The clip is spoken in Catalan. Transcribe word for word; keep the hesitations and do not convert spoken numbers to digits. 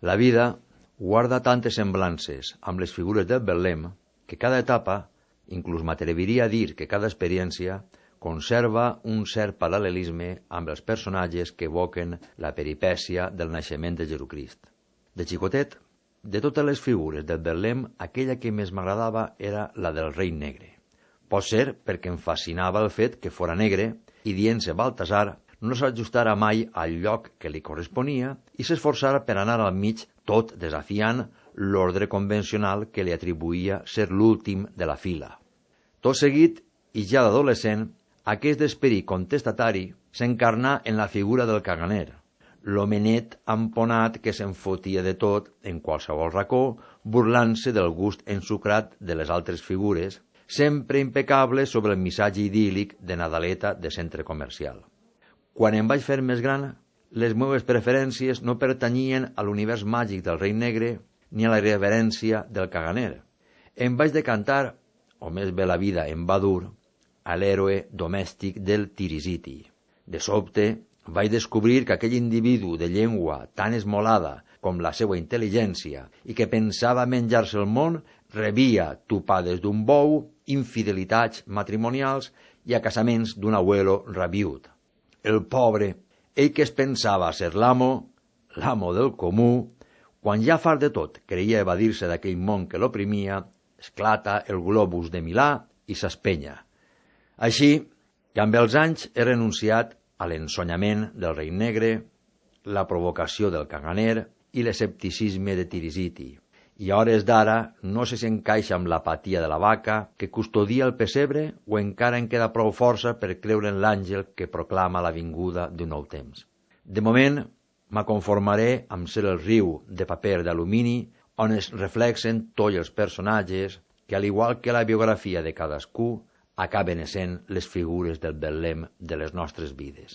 La vida guarda tantes semblances amb les figures del Betlem que cada etapa, inclús m'atreviria a dir que cada experiència, conserva un cert paral·lelisme amb els personatges que evoquen la peripècia del naixement de Jesucrist. De xicotet, de totes les figures del Betlem, aquella que més m'agradava era la del rei negre. Pot ser perquè em fascinava el fet que fora negre i, dient-se Baltasar, no s'ajustara mai al lloc que li corresponia i s'esforçara per anar al mig, tot desafiant l'ordre convencional que li atribuïa ser l'últim de la fila. Tot seguit, i ja d'adolescent, aquest esperit contestatari s'encarnà en la figura del caganer, l'homenet amponat que se'n fotia de tot en qualsevol racó, burlant-se del gust ensucrat de les altres figures, sempre impecable sobre el missatge idíl·lic de Nadaleta de centre comercial. Quan em vaig fer més gran, les meves preferències no pertanyien a l'univers màgic del rei negre ni a la irreverència del caganer. Em vaig decantar, o més bé la vida em va dur, a l'héroe domèstic del Tirisiti. De sobte, vaig descobrir que aquell individu de llengua tan esmolada com la seva intel·ligència i que pensava menjar-se el món, rebia topades d'un bou, infidelitats matrimonials i a casaments d'un abuelo rabiut. El pobre, ell que es pensava ser l'amo, l'amo del comú, quan ja fart de tot creia evadir-se d'aquell món que l'oprimia, esclata el globus de Milà i s'espenya. Així que amb els anys he renunciat a l'ensonyament del rei negre, la provocació del caganer i l'escepticisme de Tirisiti. I a hores d'ara no sé si encaixa amb l'apatia de la vaca que custodia el pessebre o encara en queda prou força per creure en l'àngel que proclama la vinguda d'un nou temps. De moment, m'aconformaré amb ser el riu de paper d'alumini on es reflexen tots els personatges que, al igual que la biografia de cadascú, acaben essent les figures del Betlem de les nostres vides.